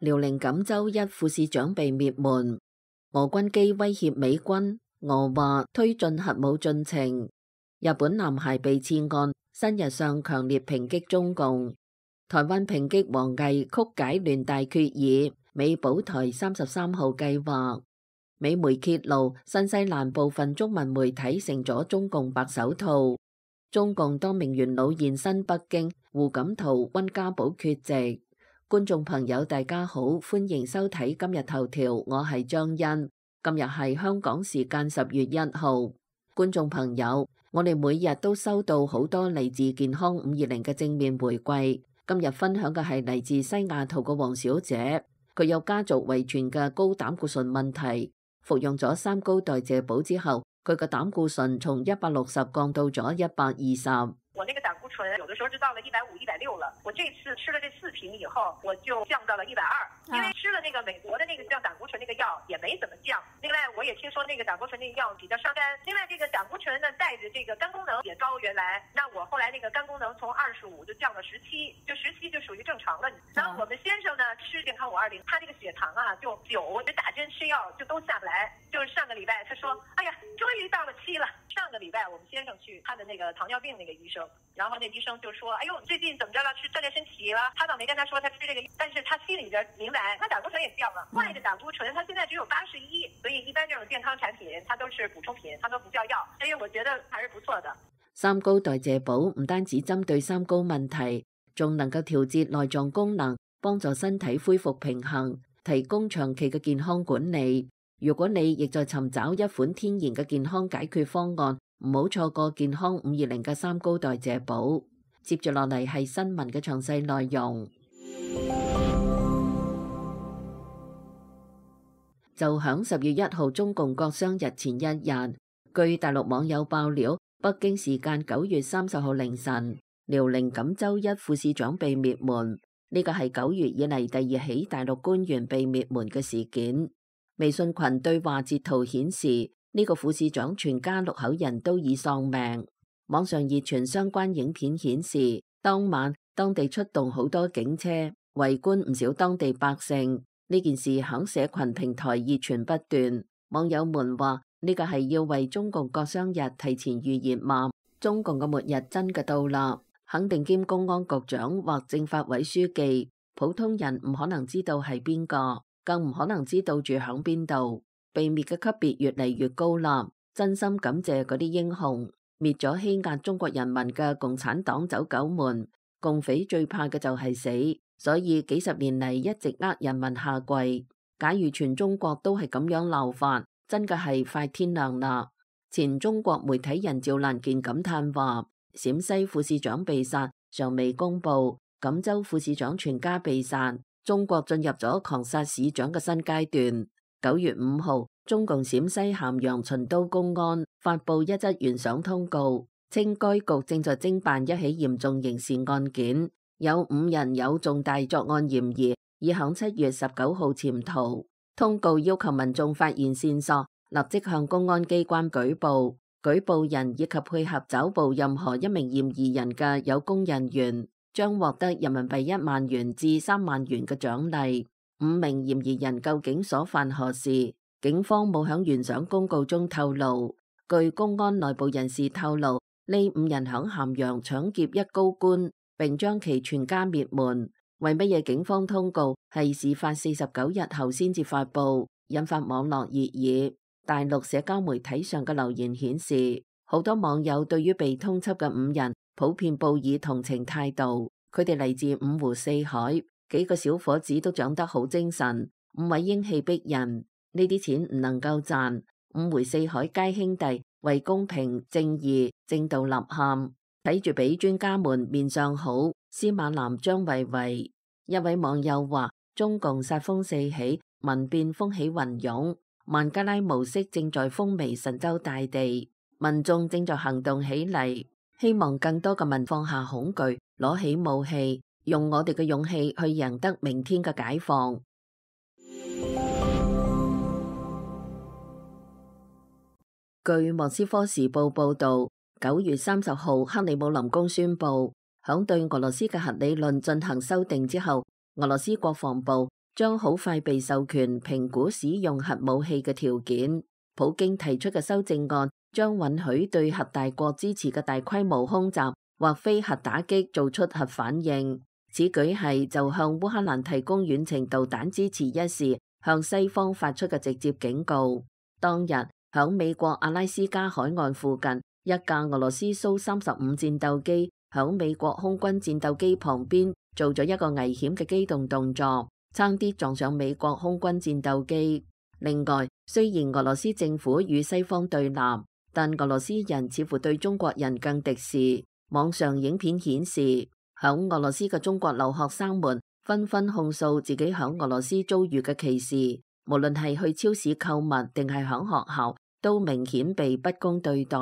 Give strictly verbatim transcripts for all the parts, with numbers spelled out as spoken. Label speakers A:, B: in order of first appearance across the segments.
A: 遼寧錦州一副市長被滅門，俄軍機威脅美軍，俄話推進核武進程。日本男孩被刺案，新日上強烈抨擊中共。台灣抨擊王毅曲解聯大決議，美保台三十三號計劃。美媒揭露，新西蘭部分中文媒體成咗中共白手套。中共多名元老現身北京，胡錦濤、溫家寶缺席。觀眾朋友大家好，歡迎收睇今日頭條，我係張欣。今日係香港時間十月一號。觀眾朋友，我哋每日都收到好多嚟自健康五二零嘅正面回饋。今日分享嘅係嚟自西雅圖嘅黃小姐，佢有家族遺傳嘅高膽固醇問題，服用咗三高代謝寶之後，佢嘅膽固醇從一百六十降到咗一百二十。
B: 我那個膽固醇有的時候就到了一百五、一百六了。我這次吃了這四瓶以後，我就降到了一百二。因為吃了那個美國的那個降膽固醇那個藥也沒怎麼降。另外，我也聽說那個膽固醇那個藥比較傷肝。另外，這個膽固醇呢帶着這個肝功能也高，原來那我後來那個肝功能從二十五就降到十七，就十七就屬於正常了。然後我們先生呢吃健康五二零，他這個血糖啊就九，就打針吃藥就都下不來。就是上個禮拜他說，哎呀，終於到了七了。上個禮拜我們先生去他的那個糖尿病那個醫生，然後那醫生就說，哎呦，最近怎麼着了？吃鍛煉身體了？他倒沒跟他說他吃這個，但是他心裏邊明白，他膽固醇也降了。壞的膽固醇，他現在只有八十一，所以一般這種健康產品，它都是補充品，它都不叫藥。所以我覺得還是不錯的。
A: 三高代謝寶唔單止針對三高問題，仲能夠調節內臟功能，幫助身體恢復平衡，提供長期嘅健康管理。如果你亦在尋找一款天然嘅健康解決方案，唔好錯過健康五二零嘅三高代謝寶。接住落嚟係新聞嘅詳細內容。就響十月一號中共國殤日前一日，據大陸網友爆料，北京時間九月三十號凌晨，遼寧錦州一副市長被滅門。呢個係九月以嚟第二起大陸官員被滅門嘅事件。微信群對話截圖顯示，呢、這個副市長全家六口人都已喪命。網上熱傳相關影片顯示，當晚當地出動好多警車，圍觀唔少當地百姓。呢件事響社群平台熱傳不斷。網友們話呢、這個係要為中共國殤日提前預熱嘛？中共嘅末日真嘅到啦，肯定兼公安局長或政法委書記，普通人唔可能知道係邊個。更唔可能知道住響邊度，被滅嘅級別越嚟越高啦。真心感謝嗰啲英雄，滅咗欺壓中國人民嘅共產黨走狗們。共匪最怕嘅就係死，所以幾十年嚟一直呃人民下跪。假如全中國都係咁樣鬧法，真嘅係快天亮啦。前中國媒體人趙蘭健感嘆話：陝西副市長被殺，尚未公布；錦州副市長全家被殺。中國進入咗狂殺市長嘅新階段。九月五號，中共陝西咸陽秦都公安發布一則懸賞通告，稱該局正在偵辦一起嚴重刑事案件，有五人有重大作案嫌疑，已響七月十九號潛逃。通告要求民眾發現線索，立即向公安機關舉報，舉報人以及配合抓捕任何一名嫌疑人嘅有功人員，將獲得人民幣一萬元至三萬元嘅獎勵。五名嫌疑人究竟所犯何事？警方冇響懸賞公告中透露。據公安內部人士透露，呢五人響咸陽搶劫一高官，並將其全家滅門。為乜嘢警方通告係事發四十九日後先至發布，引發網絡熱議。大陸社交媒體上嘅留言顯示，好多網友對於被通緝嘅五人普遍報以同情態度，佢哋嚟自五湖四海，幾個小伙子都長得好精神，五位英氣逼人，呢啲錢唔能夠賺。五湖四海皆兄弟，為公平正義正道吶喊，睇住俾專家們面上好。司馬南張維維，一位網友話：中共殺風四起，民變風起雲湧，孟加拉模式正在風靡神州大地，民眾正在行動起嚟。希望更多嘅民放下恐懼，攞起武器，用我哋嘅勇氣去贏得明天嘅解放。據莫斯科時報報道，九月三十號，克里姆林宮宣布，響對俄羅斯嘅核理論進行修訂之後，俄羅斯國防部將好快被授權評估使用核武器嘅條件。普京提出嘅修正案將允許對核大國支持嘅大規模空襲或非核打擊做出核反應。此舉係就向烏克蘭提供遠程導彈支持一事向西方發出嘅直接警告。當日響美國阿拉斯加海岸附近，一架俄羅斯蘇三十五戰鬥機響美國空軍戰鬥機旁邊做咗一個危險嘅機動動作，差啲撞上美國空軍戰鬥機。另外，雖然俄羅斯政府與西方對立，但俄羅斯人似乎對中國人更敵視。網上影片顯示，響俄羅斯嘅中國留學生們紛紛控訴自己響俄羅斯遭遇嘅歧視，無論係去超市購物定係響學校，都明顯被不公對待。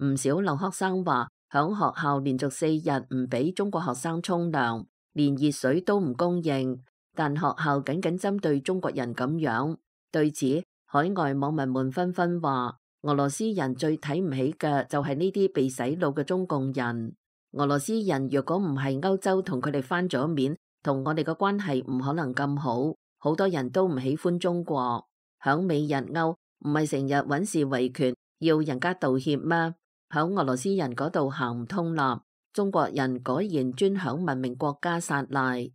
A: 唔少留學生話，響學校連續四日唔俾中國學生沖涼，連熱水都唔供應，但學校僅僅針對中國人咁樣。對此，海外網民們紛紛話，俄羅斯人最睇唔起嘅就係呢啲被洗腦嘅中共人。俄羅斯人若果唔係歐洲同佢哋翻咗面，同我哋嘅關係唔可能咁好。好多人都唔喜歡中國。響美日歐唔係成日揾事維權，要人家道歉咩？響俄羅斯人嗰度行唔通啦。中國人果然專響文明國家撒賴。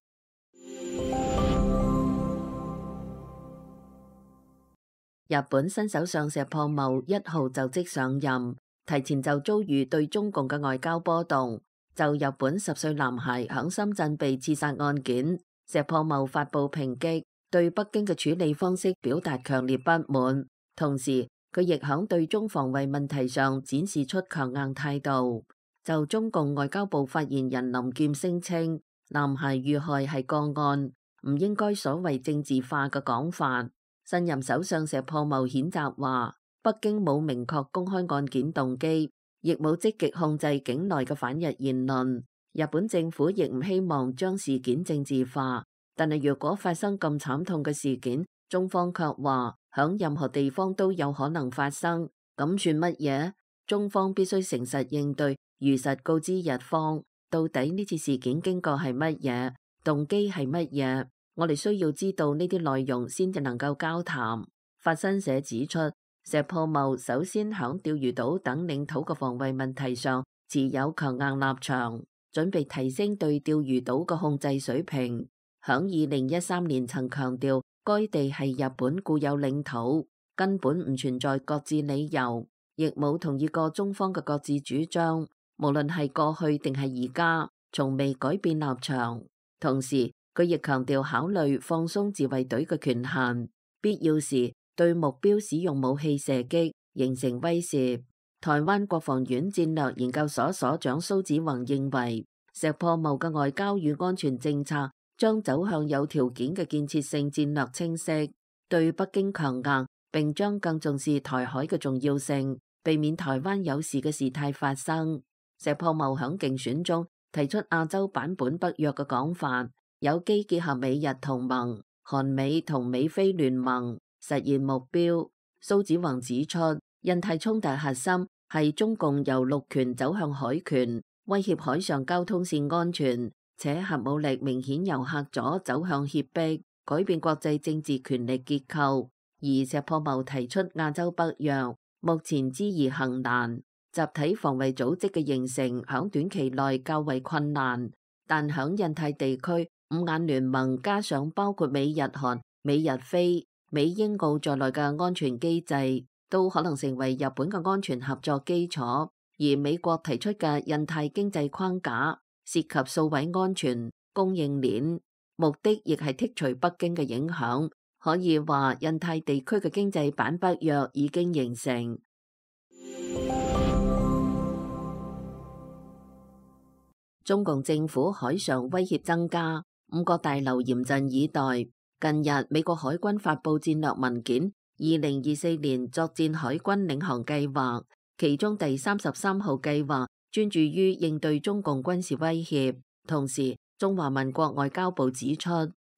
A: 日本新首相石破茂一號就職上任，提前就遭遇對中共嘅外交波動。就日本十歲男孩響深圳被刺殺案件，石破茂發布抨擊，對北京嘅處理方式表達強烈不滿。同時，佢亦響對中防衛問題上展示出強硬態度。就中共外交部發言人林劍聲稱，男孩遇害係個案，唔應該所謂政治化嘅講法。新任首相石破茂譴責話，北京冇明確公開案件動機，亦冇積極控制境內嘅反日言論。日本政府亦唔希望將事件政治化，但係若果發生咁慘痛嘅事件，中方卻話響任何地方都有可能發生，咁算乜嘢？中方必須誠實應對，如實告知日方，到底呢次事件經過係乜嘢，動機係乜嘢？我哋需要知道呢啲內容先至能夠交談。法新社指出，石破茂首先響釣魚島等領土嘅防衛問題上持有強硬立場，準備提升對釣魚島嘅控制水平。響二零一三年曾強調，該地係日本固有領土，根本唔存在擱置理由，亦冇同意過中方嘅擱置主張。無論係過去定係而家，從未改變立場。同時，佢亦強調考慮放鬆自衛隊嘅權限，必要時對目標使用武器射擊，形成威懾。台灣國防院戰略研究所所長蘇子宏認為，石破茂嘅外交與安全政策將走向有條件嘅建設性戰略清晰，對北京強硬，並將更重視台海嘅重要性，避免台灣有事嘅事態發生。石破茂響競選中提出亞洲版本北約嘅講法，有機結合美日同盟、韓美同美菲聯盟，實現目標。蘇子宏指出，印太衝突核心係中共由陸權走向海權，威脅海上交通線安全，且核武力明顯由嚇阻走向脅迫，改變國際政治權力結構。而石破茂提出亞洲北約，目前知易行難，集體防衛組織嘅形成響短期內較為困難，但響印太地區，五眼聯盟加上包括美日韓、美日菲、美英澳在內嘅安全機制，都可能成為日本嘅安全合作基礎。而美國提出嘅印太經濟框架涉及數位安全、供應鏈，目的亦係剔除北京嘅影響。可以話，印太地區嘅經濟版北約已經形成。中共政府海上威脅增加，五角大樓嚴陣以待。近日，美國海軍發佈戰略文件，二零二四年作戰海軍領航計劃，其中第三十三號計劃專注於應對中共軍事威脅。同時，中華民國外交部指出，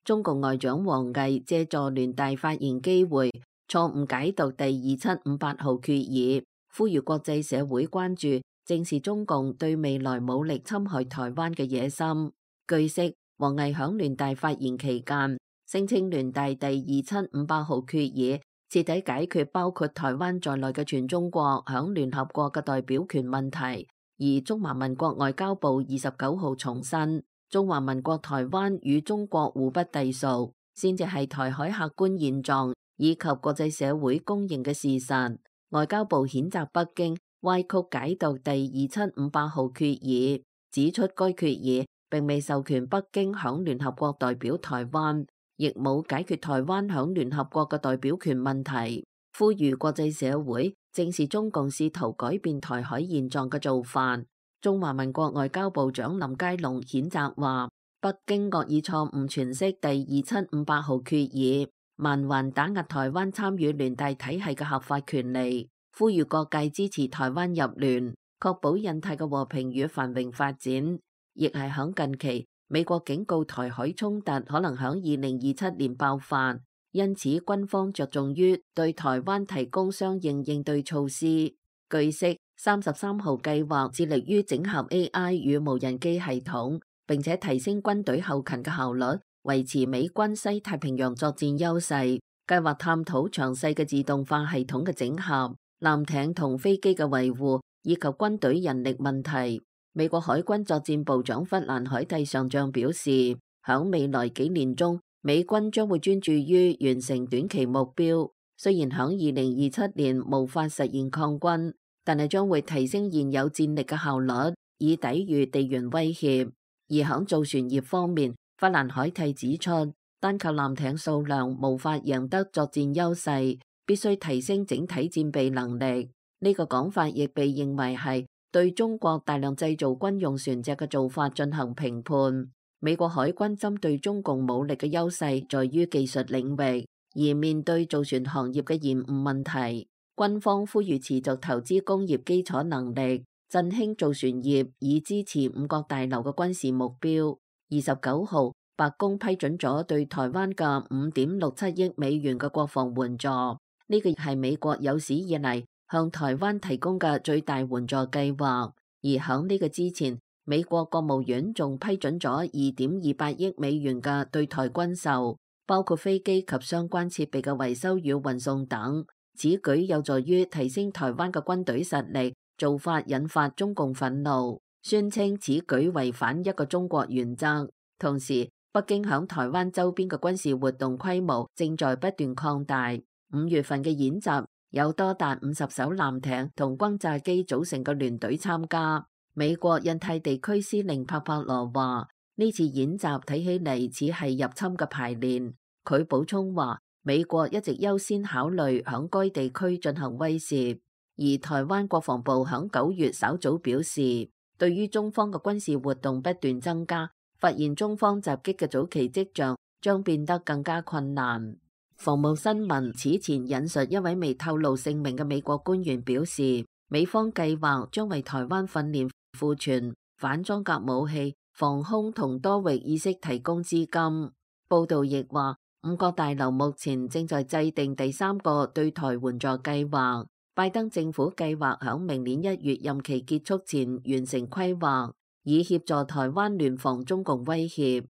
A: 中共外長王毅借助聯大發言機會，錯誤解讀第二七五八號決議，呼籲國際社會關注正視中共對未來武力侵害台灣嘅野心。據悉，王毅響聯大發言期間，聲稱聯大第二七五八號決議徹底解決包括台灣在內嘅全中國響聯合國嘅代表權問題，而中華民國外交部二十九號重申，中華民國台灣與中國互不隸屬，先至係台海客觀現狀以及國際社會公認嘅事實。外交部譴責北京歪曲解讀第二七五八號決議，指出該決議並未授權北京響聯合國代表台灣，亦冇解決台灣響聯合國嘅代表權問題，呼籲國際社會正視中共試圖改變台海現狀嘅做法。中華民國外交部長林佳龍譴責話，北京惡意錯誤詮釋第二七五八號決議，蠻橫打壓台灣參與聯大體系嘅合法權利，呼籲各界支持台灣入聯，確保印太嘅和平與繁榮發展。亦係響近期，美國警告台海衝突可能響二零二七年爆發，因此軍方着重於對台灣提供相應應對措施。據悉，三十三號計劃致力於整合 A I 與無人機系統，並且提升軍隊後勤嘅效率，維持美軍西太平洋作戰優勢。計劃探討詳細嘅自動化系統嘅整合、艦艇同飛機嘅維護以及軍隊人力問題。美國海軍作戰部長弗蘭海蒂上將表示，響未來幾年中，美軍將會專注於完成短期目標。雖然響二零二七年無法實現抗軍，但係將會提升現有戰力嘅效率，以抵禦地緣威脅。而響造船業方面，弗蘭海蒂指出，單靠艦艇數量無法贏得作戰優勢，必須提升整體戰備能力。呢個講法亦被認為係對中國大量製造軍用船隻嘅做法進行評判。美國海軍針對中共武力嘅優勢在於技術領域，而面對造船行業嘅延誤問題，軍方呼籲持續投資工業基礎能力，振興造船業，以支持五角大樓嘅軍事目標。二十九號，白宮批准咗對台灣嘅五點六七億美元嘅國防援助，呢個係美國有史以嚟向台灣提供嘅最大援助計劃。而響呢個之前，美國國務院仲批准咗二點二八億美元嘅對台軍售，包括飛機及相關設備嘅維修與運送等。此舉有助於提升台灣嘅軍隊實力，做法引發中共憤怒，宣稱此舉違反一個中國原則。同時，北京響台灣周邊嘅軍事活動規模正在不斷擴大。五月份嘅演習有多達五十艘艦艇同轟炸機組成嘅聯隊參加。美國印太地區司令帕帕羅話：呢次演習睇起嚟似係入侵嘅排練。佢補充話：美國一直優先考慮響該地區進行威懾。而台灣國防部響九月稍早表示，對於中方嘅軍事活動不斷增加，發現中方襲擊嘅早期跡象將變得更加困難。防務新聞此前引述一位未透露姓名嘅美國官員表示，美方計劃將為台灣訓練、庫存、反裝甲武器、防空同多域意識提供資金。報道亦話，五角大樓目前正在制定第三個對台援助計劃。拜登政府計劃響明年一月任期結束前完成規劃，以協助台灣聯防中共威脅。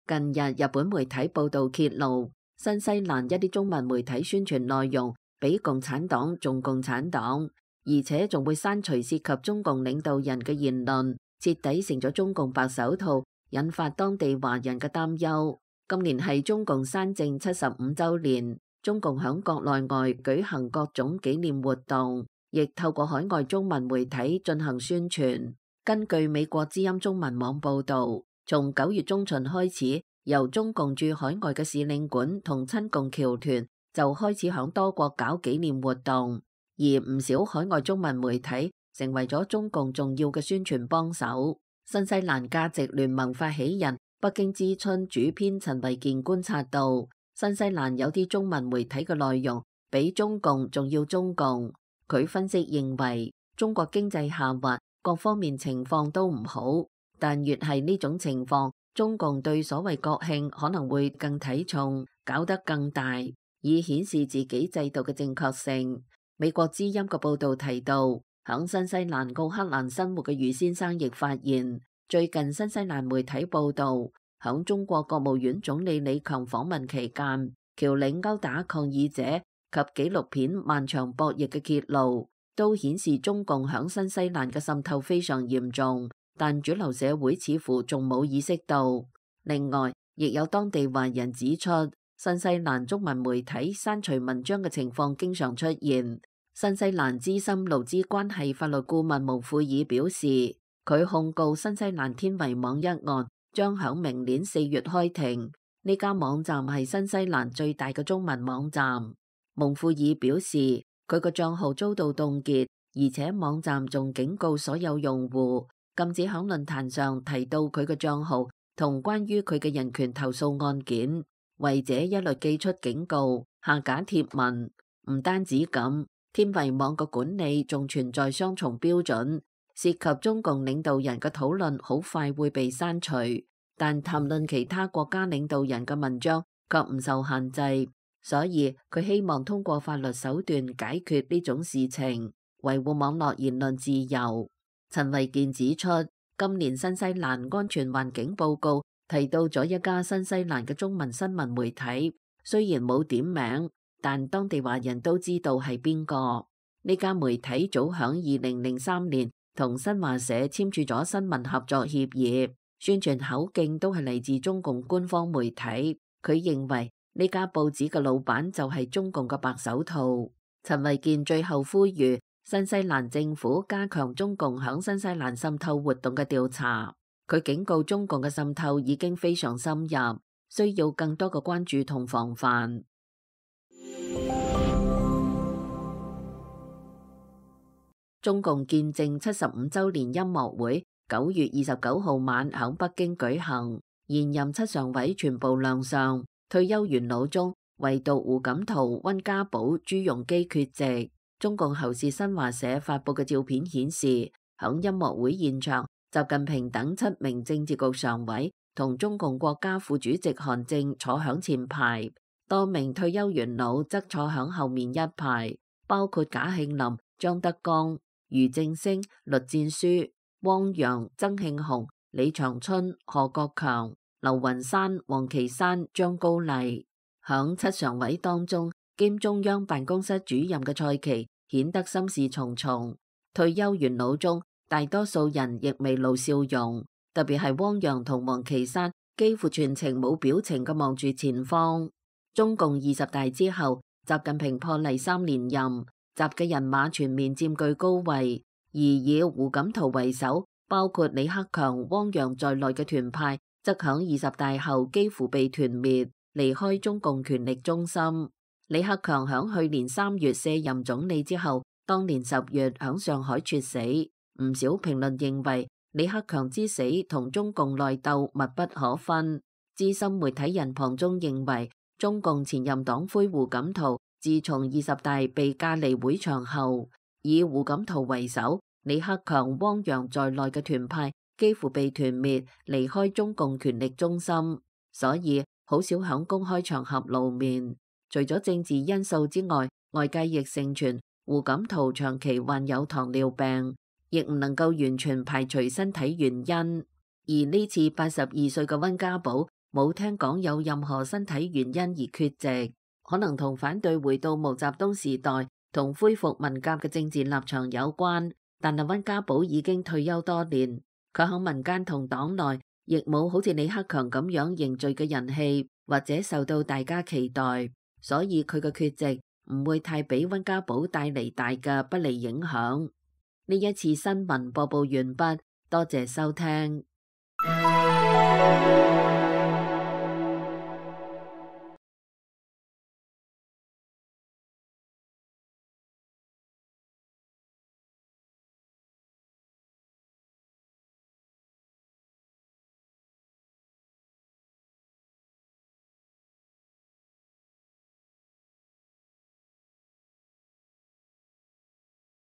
A: 近日，日本媒體報道揭露，新西蘭一啲中文媒體宣傳內容比共產黨仲共產黨，而且仲會刪除涉及中共領導人嘅言論，徹底成咗中共白手套，引發當地華人嘅擔憂。今年係中共山正七十五週年，中共響國內外舉行各種紀念活動，亦透過海外中文媒體進行宣傳。根據美國之音中文網報導，從九月中旬開始，由中共駐海外嘅使領館同親共僑團就開始響多國搞紀念活動，而唔少海外中文媒體成為咗中共重要嘅宣傳幫手。新西蘭價值聯盟發起人、北京之春主編陳維健觀察到，新西蘭有啲中文媒體嘅內容比中共仲要中共。佢分析認為，中國經濟下滑，各方面情況都唔好，但越係呢種情況，中共對所謂國慶可能會更睇重，搞得更大，以顯示自己制度嘅正確性。美國之音嘅報導提到，響新西蘭奧克蘭生活嘅余先生亦發現，最近新西蘭媒體報道，響中國國務院總理李強訪問期間，僑領毆打抗議者及紀錄片《漫長博弈》嘅揭露，都顯示中共響新西蘭嘅滲透非常嚴重，但主流社會似乎仲冇意識到。另外，亦有當地華人指出，新西蘭中文媒體刪除文章嘅情況經常出現。新西蘭資深勞資關係法律顧問蒙庫爾表示，佢控告新西蘭天維網一案將響明年四月開庭。呢家網站係新西蘭最大嘅中文網站。蒙庫爾表示，佢個賬號遭到凍結，而且網站仲警告所有用戶禁止響論壇上提到佢嘅賬號同關於佢嘅人權投訴案件，違者一律寄出警告、下架貼文。唔單止咁，天維網嘅管理仲存在雙重標準。涉及中共領導人嘅討論好快會被刪除，但談論其他國家領導人嘅文章卻唔受限制，所以佢希望通過法律手段解決呢種事情，維護網絡言論自由。陳維健指出，今年新西蘭安全環境報告提到咗一家新西蘭嘅中文新聞媒體，雖然冇點名，但當地華人都知道係邊個。呢家媒體早響二零零三年同新華社簽署咗新聞合作協議，宣傳口徑都係嚟自中共官方媒體。佢認為呢家報紙嘅老闆就係中共嘅白手套。陳維健最後呼籲新西蘭政府加強中共響新西蘭滲透活動嘅調查。佢警告中共嘅滲透已經非常深入，需要更多嘅關注同防範。中共建政七十五週年音樂會九月二十九號晚響北京舉行，現任七常委全部亮相，退休元老中唯獨胡錦濤、溫家寶、朱鎔基缺席。中共喉舌新華社發佈嘅照片顯示，響音樂會現場，習近平等七名政治局常委同中共國家副主席韓正坐響前排，多名退休元老則坐響後面一排，包括賈慶林、張德江、俞正聲、栗戰書、汪洋、曾慶紅、李長春、何國強、劉雲山、王岐山、張高麗。響七常委當中，兼中央辦公室主任嘅蔡奇顯得心事重重。退休元老中，大多數人亦未露笑容，特別係汪洋同王岐山，幾乎全程冇表情嘅望住前方。中共二十大之後，習近平破例三連任。習嘅人馬全面佔據高位，而以胡錦濤為首，包括李克強、汪洋在內嘅團派，則響二十大後幾乎被團滅，離開中共權力中心。李克強響去年三月卸任總理之後，當年十月響上海猝死。唔少評論認為，李克強之死同中共內鬥密不可分。資深媒體人龐中認為，中共前任黨魁胡錦濤自從二十大被架離會場後，以胡錦濤為首，李克強、汪洋在內嘅團派幾乎被團滅，離開中共權力中心，所以好少響公開場合露面。除咗政治因素之外，外界亦盛傳胡錦濤長期患有糖尿病，亦唔能夠完全排除身體原因。而呢次八十二歲嘅溫家寶冇聽講有任何身體原因而缺席。可能同反對回到毛澤東時代同恢復文革嘅政治立場有關，但係溫家寶已經退休多年，佢喺民間同黨內亦冇好似李克強咁樣凝聚嘅人氣，或者受到大家期待，所以佢嘅缺席唔會太俾溫家寶帶嚟大嘅不利影響。呢一次新聞播報完畢，多謝收聽。